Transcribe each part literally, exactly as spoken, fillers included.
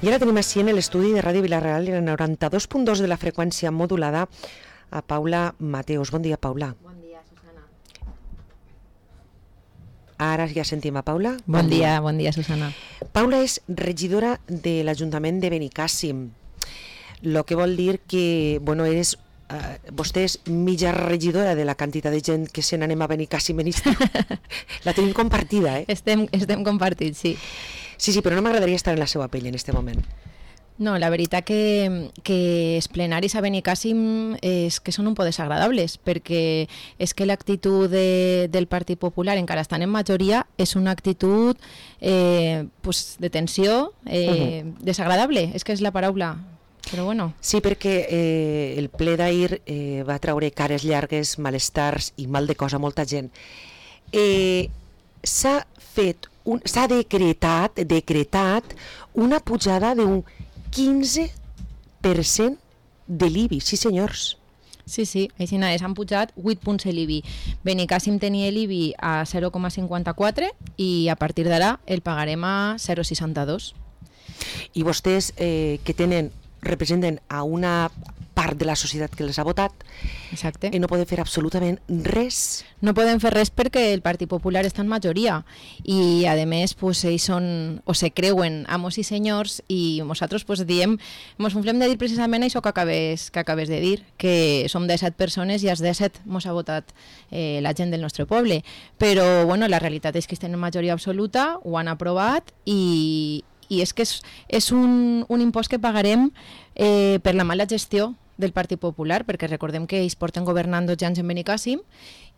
I ara tenim així en l'estudi de Ràdio Vila-real, en el noranta-dos punt dos de la freqüència modulada, a Paula Mateos. Bon dia, Paula. Bon dia, Susana. Ara ja sentim a Paula. Bon, bon dia, dia, bon dia, Susana. Paula és regidora de l'Ajuntament de Benicàssim, lo que vol dir que, bueno, eres... Uh, vostè és mitja regidora de la quantitat de gent que se n'anem a Benicàssim en estiu. La tenim compartida, eh? Estem, estem compartits, sí. Sí, sí, però no m'agradaria estar en la seva pell en aquest moment. No, la veritat que, que els plenaris a Benicàssim és que són un poc desagradables, perquè és que l'actitud de, del Partit Popular, encara estan en majoria, és una actitud eh, pues, de tensió, eh, uh-huh. desagradable, és que és la paraula. Però bueno. Sí, perquè eh, el ple d'ahir eh, va traure cares llargues, malestars i mal de cosa a molta gent. Eh, s'ha fet, un, s'ha decretat, decretat una pujada d'un quinze per cent de l'I B I, sí senyors. Sí, sí, així és, han pujat vuit punts l'I B I. Benicàssim tenia l'I B I a zero coma cinquanta-quatre i a partir d'ara el pagarem a zero coma seixanta-dos. I vostès eh, que tenen representen a una part de la societat que les ha votat. Exacte. I no poden fer absolutament res. No poden fer res perquè el Partit Popular està en majoria i a més pues, ells són o se creuen amos i senyors i nosaltres pues, diem, ens funflem de dir precisament això que acabes, que acabes de dir, que som disset persones i els disset ens ha votat eh, la gent del nostre poble, però bueno, la realitat és que estem en majoria absoluta, ho han aprovat i i és que és, és un, un impost que pagarem eh, per la mala gestió del Partit Popular, perquè recordem que ells porten governant dotze anys en Benicàssim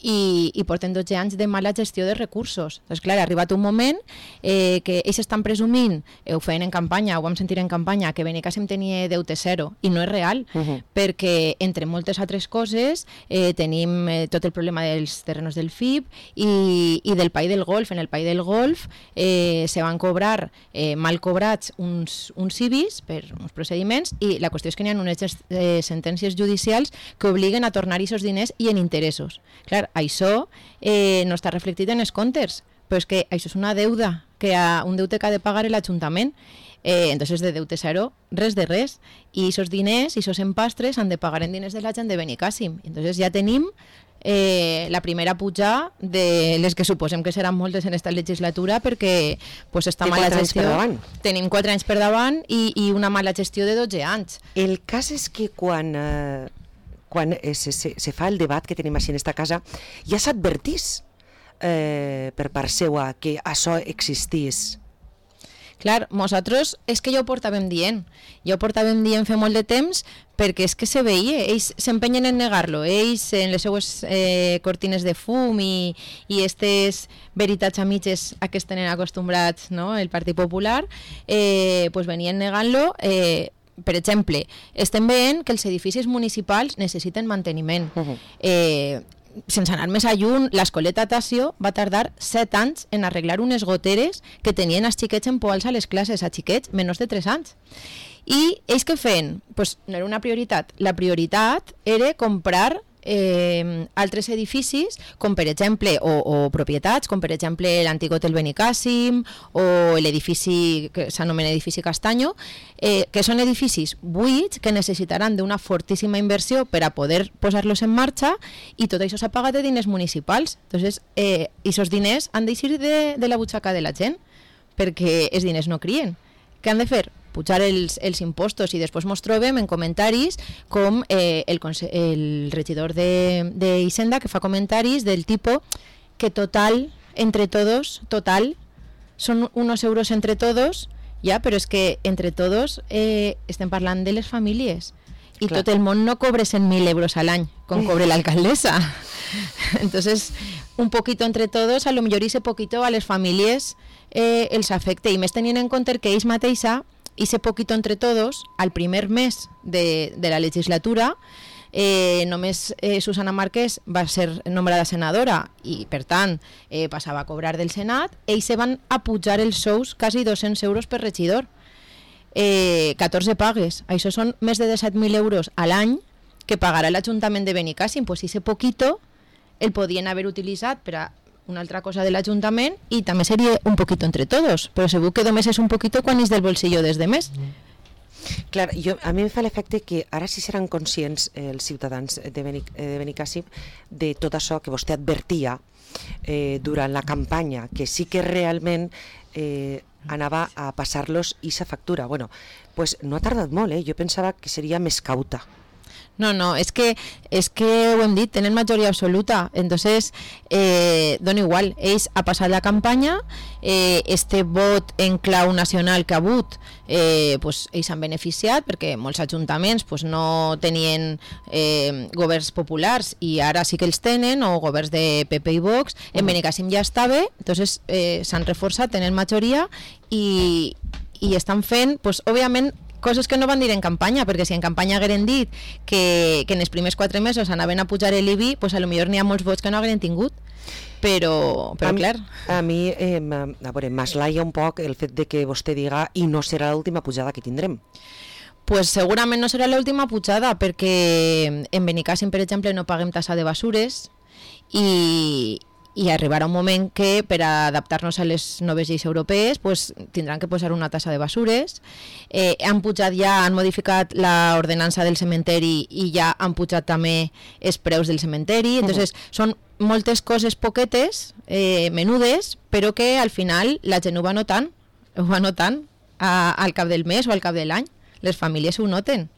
i, i porten dotze anys de mala gestió de recursos. Doncs clar, ha arribat un moment eh, que ells estan presumint, eh, ho feien en campanya, ho vam sentir en campanya, que Benicàssim tenia deute zero, i no és real, uh-huh. perquè entre moltes altres coses eh, tenim eh, tot el problema dels terrenos del F I B i, i del Pai del Golf. En el Pai del Golf eh, se van cobrar eh, mal cobrats uns, uns I B Is per uns procediments i la qüestió és que n'hi ha unes eh, sentències judicials que obliguen a tornar aquests diners i en interessos. Clar, això eh, no està reflectit en els comptes, però és que això és una deuda, que ha, un deute que ha de pagar l'Ajuntament. Eh, entonces de deute zero, res de res. I aquests diners, i aquests empastres han de pagar en diners de la gent de Benicàssim. Entonces ja tenim eh, la primera puja de les que suposem que seran moltes en esta legislatura perquè pues, està mala gestió. Tenim quatre anys per davant i, i una mala gestió de dotze anys. El cas és que quan... Eh... quan se, se, se fa el debat que tenim així en esta casa, ja s'advertís eh, per part seua que això existís. Clar, nosaltres és que ja ho portàvem dient, ja ho portàvem dient fa molt de temps perquè és que se veia, ells s'empenyen en negar-lo, ells en les seues eh, cortines de fum i, i aquestes veritats a mitges a què es tenen acostumbrats, no? El Partit Popular, eh, pues venien negant-lo. eh, Per exemple, estem veient que els edificis municipals necessiten manteniment. Uh-huh. Eh, sense anar més a lluny, l'escoleta Tasio va tardar set anys en arreglar unes goteres que tenien els xiquets empoals a les classes, a xiquets menys de tres anys. I ells què feien? Pues no era una prioritat. La prioritat era comprar Eh, altres edificis com per exemple o, o propietats com per exemple l'antic hotel Benicàssim o l'edifici que s'anomena edifici Castanyo, eh, que són edificis buits que necessitaran d'una fortíssima inversió per a poder posar-los en marxa i tot això s'ha pagat de diners municipals. Entonces, eh, aquests diners han d'eixir de, de la butxaca de la gent perquè els diners no crien. Què han de fer? Pujar els, els impostos i després ens trobem en comentaris com eh, el, el regidor d'Hisenda que fa comentaris del tipus que total, entre todos, total, són unos euros entre todos, ja, però és que entre todos eh, estem parlant de les famílies i clar, tot el món no cobre cent mil euros a l'any com cobre l'alcaldessa. Entonces, un poquito entre todos, a lo millor ese poquito a les famílies eh, els afecta i més tenint en compte que ells mateixa i ese poquito entre todos, al primer mes de, de la legislatura, eh, només eh, Susana Márquez va ser nombrada senadora i, per tant, eh, passava a cobrar del Senat, ells se van a pujar els sous quasi dos-cents euros per regidor. Eh, catorze pagues, això són més de disset mil euros a l'any que pagarà l'Ajuntament de Benicàssim, pues ese poquito el podien haver utilitzat per a una altra cosa de l'Ajuntament i també seria un poquito entre todos, però segur que només és un poquito quan és del bolsillo des de més. Clar, jo, a mi em fa l'efecte que ara sí seran conscients eh, els ciutadans de, Benic, de Benicàssim de tot això que vostè advertia eh, durant la campanya, que sí que realment eh, anava a passar-los aquesta factura. Bueno, pues no ha tardat molt, eh? Jo pensava que seria més cauta. No, no, es que, es que ho hem dit, tenen majoria absoluta, entonces eh, dona igual, ells ha passat la campanya, eh, este vot en clau nacional que ha hagut, eh, pues, ells han beneficiat perquè molts ajuntaments pues, no tenien eh, governs populars i ara sí que els tenen, o governs de P P i Vox, en Benicàssim ja estava, entonces eh, s'han reforçat, tenen majoria i, i estan fent, pues, òbviament, coses que no van dir en campanya, perquè si en campanya hagueren dit que, que en els primers quatre mesos anaven a pujar l'I B I, pues a lo millor n'hi ha molts vots que no hagueren tingut, però, però a clar. Mi, a mi, eh, a veure, m'aslaia un poc el fet de que vostè diga i no serà l'última pujada que tindrem. Pues segurament no serà l'última pujada, perquè en Benicàssim, per exemple, no paguem tassa de basures i... i arribarà un moment que per a adaptar-nos a les noves lleis europees pues, tindran que posar una tassa de basures. Eh, han pujat ja, han modificat l'ordenança del cementeri i ja han pujat també els preus del cementeri. Entonces, uh-huh. són moltes coses poquetes, eh, menudes, però que al final la gent ho va notant, ho va notant a, al cap del mes o al cap de l'any. Les famílies ho noten.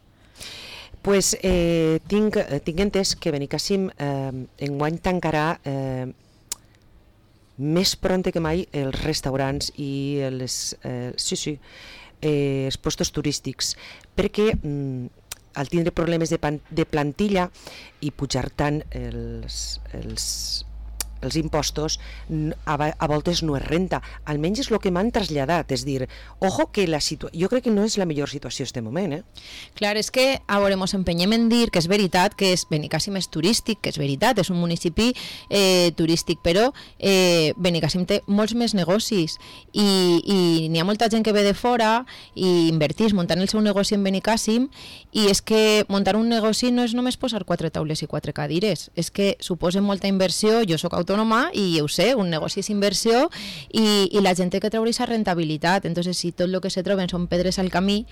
Pues eh, tinc, tinc entès que Benicàssim eh, enguany tancarà eh, més prompte que mai els restaurants i les, eh, sí, sí, eh, els puestos turístics, perquè mm, al tindre problemes de, pan, de plantilla i pujar tant els, els, els impostos, a, a voltes no es renta. Almenys és el que m'han traslladat, és dir, ojo que la situació, jo crec que no és la millor situació en aquest moment, eh? Clar, és que a veure, ens empenyem en dir que és veritat, que és Benicàssim és turístic, que és veritat, és un municipi eh, turístic, però eh, Benicàssim té molts més negocis i, i n'hi ha molta gent que ve de fora i invertís muntant el seu negoci en Benicàssim, i és que muntar un negoci no és només posar quatre taules i quatre cadires, és que suposa molta inversió. Jo soc autònoma i ho sé, un negoci és inversió i, i la gent té que treure aquesta rentabilitat. Entonces, si tot el que se troben són pedres al camí,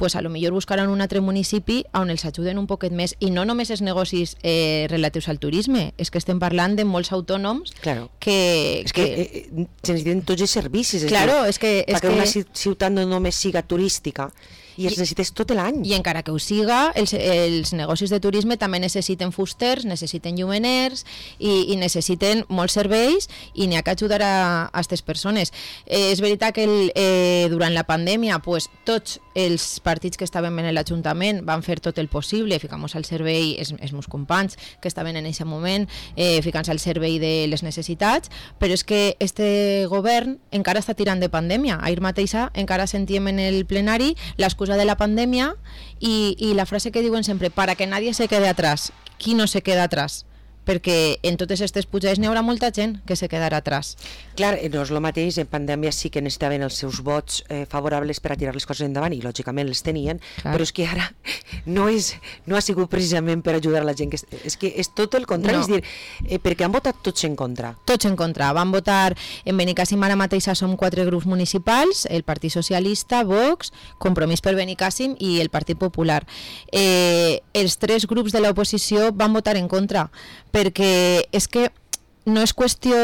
pues a lo millor buscaran un altre municipi on els ajuden un poquet més, i no només els negocis eh, relatius al turisme, és que estem parlant de molts autònoms claro. que... És que, que eh, se necessiten tots els servicis, és claro, dir, és que, és perquè que... una ciutat no només siga turística, i els necessites tot l'any. I encara que ho siga, els, els negocis de turisme també necessiten fusters, necessiten llumeners i, i necessiten molts serveis, i n'hi ha que ajudar a aquestes persones. Eh, és veritat que el, eh, durant la pandèmia pues, tots els partits que estaven en l'Ajuntament van fer tot el possible, ficant-nos al servei els, els meus companys que estaven en aquest moment, eh, ficant-se al servei de les necessitats, però és que este govern encara està tirant de pandèmia. Ahir mateixa encara sentíem en el plenari l'excusa de la pandèmia i, i la frase que diuen sempre, para que nadie se quede atrás. Qui no se queda atrás? Perquè en totes aquestes pujades n'hi haurà molta gent que se quedarà atrás. Clar, no és el mateix, en pandèmia sí que necessitaven els seus vots eh, favorables per a tirar les coses endavant, i lògicament els tenien, clar. Però és que ara no, és, no ha sigut precisament per ajudar a la gent, que és, és que és tot el contrari, no. És dir, eh, perquè han votat tots en contra. Tots en contra, van votar, en Benicàssim ara mateixa som quatre grups municipals, el Partit Socialista, Vox, Compromís per Benicàssim i el Partit Popular. Eh, els tres grups de l'oposició van votar en contra, perquè és que no és qüestió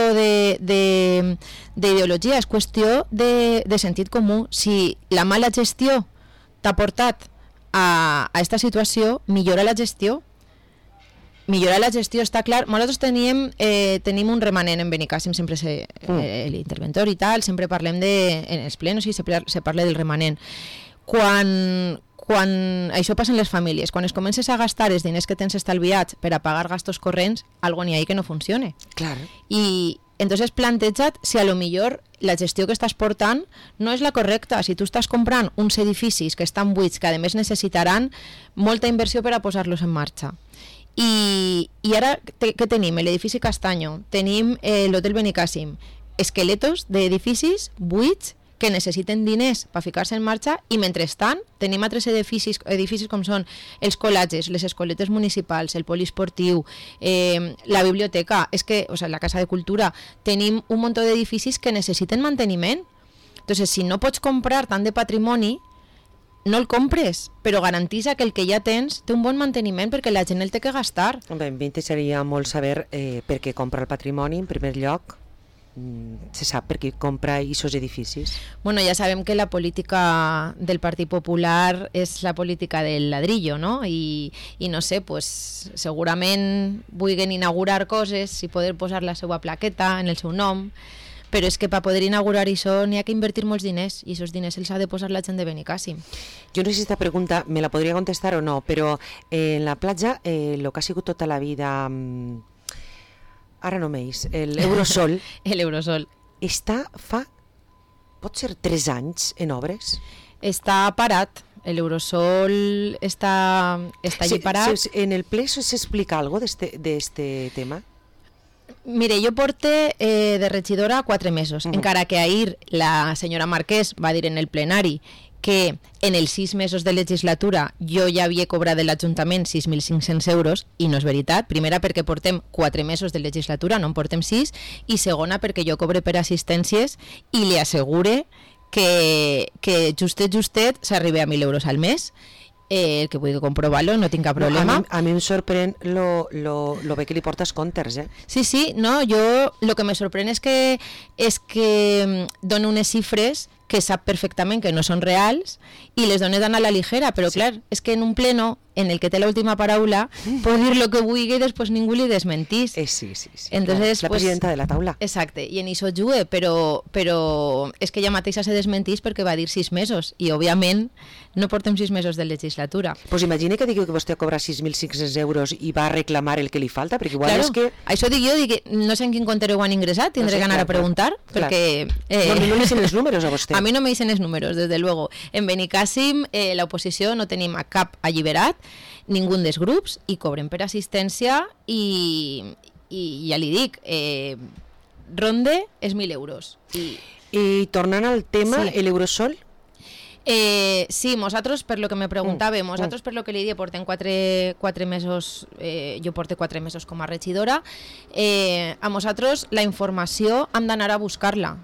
d'ideologia, és qüestió de, de sentit comú. Si la mala gestió t'ha portat a aquesta situació, millora la gestió. Millorar la gestió, està clar. Nosaltres teníem, eh, tenim un remanent en Benicàssim, sempre se, eh, l'interventor i tal, sempre parlem de, en els plenos i se, se parla del remanent. Quan... Quan això passa en les famílies, quan es comences a gastar els diners que tens estalviats per a pagar gastos corrents, algo n'hi ha que no funcione. Clar. I entonces planteja't si a lo millor la gestió que estàs portant no és la correcta. Si tu estàs comprant uns edificis que estan buits, que a més necessitaran molta inversió per a posar-los en marxa. I, i ara te, què tenim? L'edifici Castanyo, tenim eh, l'hotel Benicàssim, esqueletos d'edificis buits que necessiten diners per ficar-se en marxa i mentrestant tenim altres edificis, edificis com són els col·legis, les escoletes municipals, el poliesportiu, eh, la biblioteca, és que, o sigui, la Casa de Cultura, tenim un munt d'edificis que necessiten manteniment. Entonces, si no pots comprar tant de patrimoni, no el compres, però garantisa que el que ja tens té un bon manteniment perquè la gent el té que gastar. Bé, a mi m'interessaria molt saber eh, per què compra el patrimoni, en primer lloc. Mm, se sap per què compra aquests edificis? Bueno, ja sabem que la política del Partit Popular és la política del ladrillo, no? I, i no sé, pues, segurament vulguin inaugurar coses i poder posar la seva plaqueta en el seu nom, però és que per poder inaugurar això n'hi ha que invertir molts diners i aquests diners els ha de posar la gent de Benicàssim. Jo no sé si aquesta pregunta me la podria contestar o no, però eh, en la platja, el eh, que ha sigut tota la vida, mm, ara no m'eix, l'Eurosol, l'Eurosol està fa, pot ser tres anys en obres? Està parat, l'Eurosol està, està allí sí, parat. Sí, en el ple s'explica alguna cosa d'este tema? Mire, jo porte eh, de regidora quatre mesos, uh-huh. encara que ahir la senyora Marquès va dir en el plenari que en els sis mesos de legislatura jo ja havia cobrat de l'Ajuntament sis mil cinc-cents euros, i no és veritat. Primera, perquè portem quatre mesos de legislatura, no en portem sis, i segona, perquè jo cobre per assistències i li assegure que, que justet, justet, s'arriba a mil euros al mes. Eh, el que vull comprovar-lo, no tinc cap problema. No, a, mi, a mi em sorprèn lo, lo, lo bé que li portes comptes, eh? Sí, sí, no, jo el que me sorprèn és que, és que dona unes xifres que sap perfectament que no són reals i les dones dan a la ligera, però sí. Clar, és que en un pleno en el que té l'última paraula pot dir el que vulgui i després ningú li desmentís. Eh, sí, sí, sí. Entonces, la pues, presidenta de la taula. Exacte, i en això jugue, però, però és que ella mateixa se desmentís perquè va dir sis mesos i òbviament no portem sis mesos de legislatura. Pues imagine que digui que vostè cobra sis mil cinc-cents euros i va a reclamar el que li falta, perquè igual claro, és que... Això dic jo, dic, no sé en quin compte ho han ingressat, tindré no sé, que anar clar, a preguntar, clar. Perquè... Eh... No, no li dicen els números a vostè. A mi no me dicen els números, desde luego. En Benicàssim, eh, l'oposició no tenim a cap alliberat, ningú dels grups, i cobren per assistència i, i ja li dic, eh, ronde és mil euros. I, I tornant al tema, sí. l'Eurosol? Eh, sí, nosaltres, per lo que me preguntava, mm, nosaltres mm. per lo que li dic, portem quatre, quatre mesos, eh, jo porto quatre mesos com a regidora, eh, a nosaltres la informació hem d'anar a buscar-la.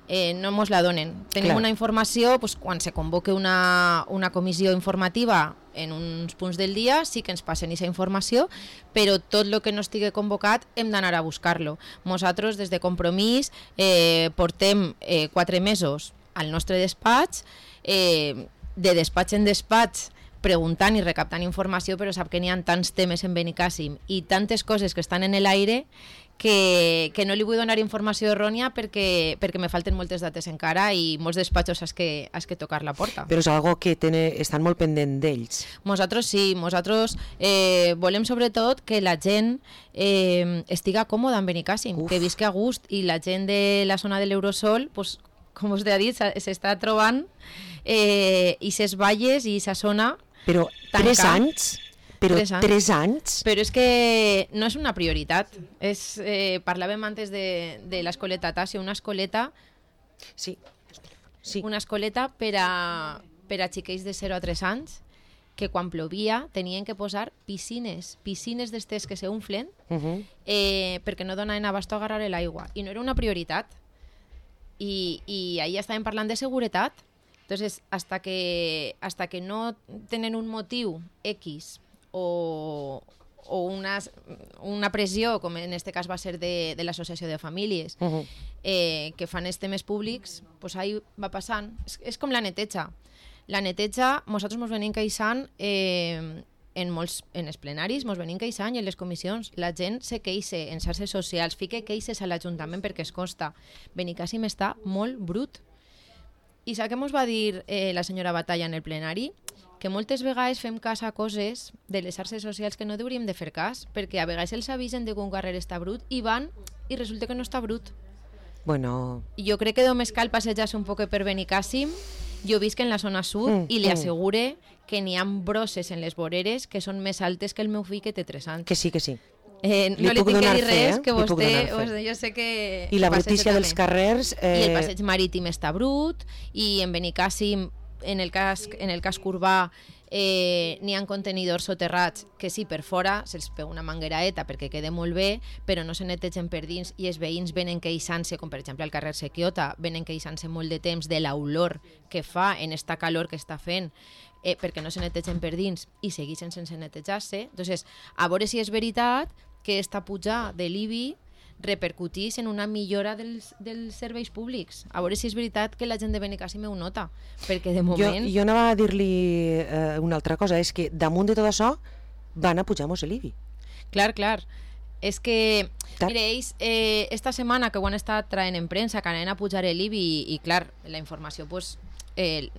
Eh, no mos la donen. Tenim Clar. Una informació, pues, quan se convoque una, una comissió informativa en uns punts del dia, sí que ens passen aquesta informació, però tot el que no estigui convocat hem d'anar a buscar-lo. Nosaltres, des de Compromís, eh, portem eh, quatre mesos al nostre despatx, eh, de despatx en despatx, preguntant i recaptant informació, però sap que n'hi ha tants temes en Benicàssim i tantes coses que estan en l'aire que, que no li vull donar informació errònia perquè, perquè me falten moltes dates encara i molts despatxos has que, has que tocar la porta. Però és algo que tene, estan molt pendent d'ells. Nosaltres sí, nosaltres eh, volem sobretot que la gent eh, estiga còmoda en Benicàssim, Uf. que visqui a gust, i la gent de la zona de l'Eurosol, pues, com us he dit, s'està trobant eh, i ses valles i sa zona. Però tancar. tres anys? Però tres anys. tres anys? Però és que no és una prioritat. És, eh, parlàvem antes de, de l'escoleta Tassi, una escoleta... Sí. sí. Una escoleta per a, per a xiquets de zero a tres anys que quan plovia tenien que posar piscines, piscines d'estes que s'unflen uh -huh. eh, perquè no donaven abast a agarrar l'aigua. I no era una prioritat. I, i ahir estàvem parlant de seguretat. Entonces, hasta que, hasta que no tenen un motiu X o, o una, una pressió, com en este cas va ser de, de l'Associació de Famílies, uh -huh. eh, que fan els temes públics, pues ahí va passant. És, és com la neteja. La neteja, nosaltres ens venim queixant eh, en molts en els plenaris, ens venim queixant i en les comissions. La gent se queixa en xarxes socials, fica queixes a l'Ajuntament perquè es costa. Benicàssim està molt brut. I sap què ens va dir eh, la senyora Batalla en el plenari? Que moltes vegades fem cas a coses de les xarxes socials que no hauríem de fer cas, perquè a vegades els avisen de que un carrer està brut i van i resulta que no està brut. Bueno... Jo crec que només cal passejar-se un poc per Benicàssim. Jo visc en la zona sud mm, i li assegure mm. que n'hi ha brosses en les voreres que són més altes que el meu fill, que té tres anys. Que sí, que sí. Eh, no li, li tinc que dir fe, res, eh? que vostè, vostè jo sé que... I la brutícia dels carrers... Eh... I el passeig marítim està brut, i en Benicàssim, en el cas, en el cas Urbà, eh, n'hi ha contenidors soterrats que sí, per fora se'ls pega una mangueraeta perquè quede molt bé, però no se netegen per dins, i els veïns venen queixant-se, com per exemple al carrer Sequiota, venen queixant-se molt de temps de l'olor que fa en esta calor que està fent, eh, perquè no se netegen per dins i segueixen sense netejar-se. Entonces, a veure si és veritat que esta pujada de l'I B I repercutís en una millora dels, dels serveis públics. A veure si és veritat que la gent de Benicàssim ho nota, perquè de moment... Jo, jo anava a dir-li eh, una altra cosa, és que damunt de tot això van a pujar-nos l'I B I. Clar, clar. És que, mire, ells, eh, esta setmana que ho han estat traient en premsa, que anaven a pujar l'I B I, i, i clar, la informació pues, eh,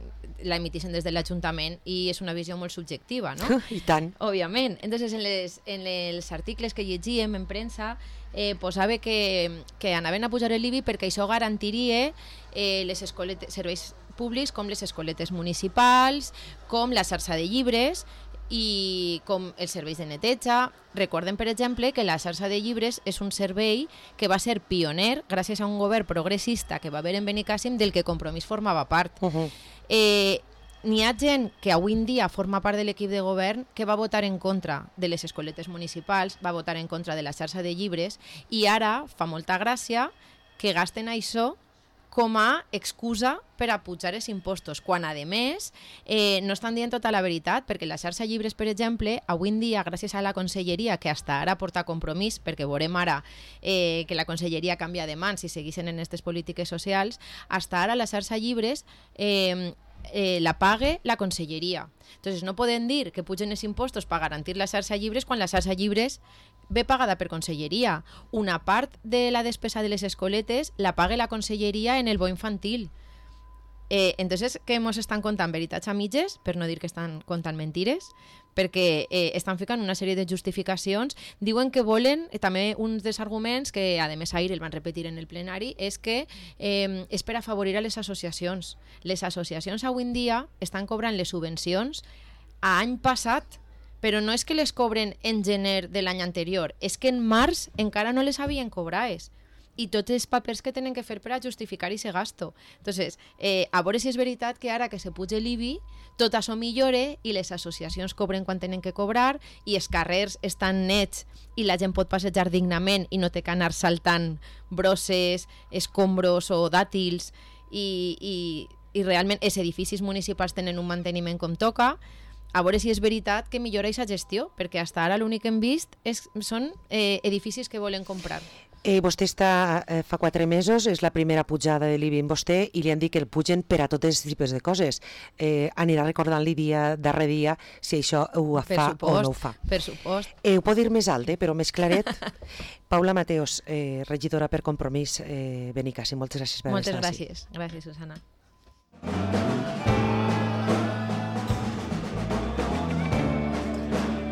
la emitixen des de l'Ajuntament i és una visió molt subjectiva, no? I tant. Òbviament. Entonces, en, les, en els articles que llegíem en premsa, eh, posava que, que anaven a pujar l'I B I perquè això garantiria eh, les escoletes, serveis públics com les escoletes municipals, com la xarxa de llibres i com els serveis de neteja. Recorden, per exemple, que la xarxa de llibres és un servei que va ser pioner gràcies a un govern progressista que va haver en Benicàssim del que Compromís formava part. Uh -huh. eh, N'hi ha gent que avui en dia forma part de l'equip de govern que va votar en contra de les escoletes municipals, va votar en contra de la xarxa de llibres, i ara fa molta gràcia que gasten això com a excusa per a pujar els impostos, quan a més eh, no estan dient tota la veritat, perquè la xarxa llibres, per exemple, avui en dia, gràcies a la conselleria, que hasta ara porta Compromís, perquè veurem ara eh, que la conselleria canvia de mans i segueixen en aquestes polítiques socials, hasta ara la xarxa llibres eh, eh, la pague la conselleria. Entonces no poden dir que pugen els impostos per garantir la xarxa llibres quan la xarxa llibres ve pagada per conselleria. Una part de la despesa de les escoletes la paga la conselleria en el bo infantil. Eh, entonces, què ens estan contant? Veritats a mitges, per no dir que estan contant mentires, perquè eh, estan ficant una sèrie de justificacions. Diuen que volen, eh, també uns dels arguments que a més ahir el van repetir en el plenari, és que eh, és per afavorir a les associacions. Les associacions avui en dia estan cobrant les subvencions a any passat, però no és que les cobren en gener de l'any anterior, és que en març encara no les havien cobrades, i tots els papers que tenen que fer per a justificar aquest gasto. Entonces, eh, a veure si és veritat que ara que se puja l'I B I, tot això millore i les associacions cobren quan tenen que cobrar i els carrers estan nets i la gent pot passejar dignament i no té que anar saltant brosses, escombros o dàtils, i, i, i realment els edificis municipals tenen un manteniment com toca. A veure si és veritat que millora aquesta gestió, perquè fins ara l'únic que hem vist és, són eh, edificis que volen comprar. Eh, vostè està eh, fa quatre mesos, és la primera pujada de l'I B I en vostè, i li han dit que el pugen per a tots els tipus de coses. Eh, anirà recordant-li dia darrere dia si això ho per fa supost, o no ho fa. Per supost. Eh, ho pot dir més alt, eh, però més claret. Paula Mateos, eh, regidora per Compromís, eh, Benicàssim, moltes gràcies per Moltes estar gràcies. Gràcies, Susana.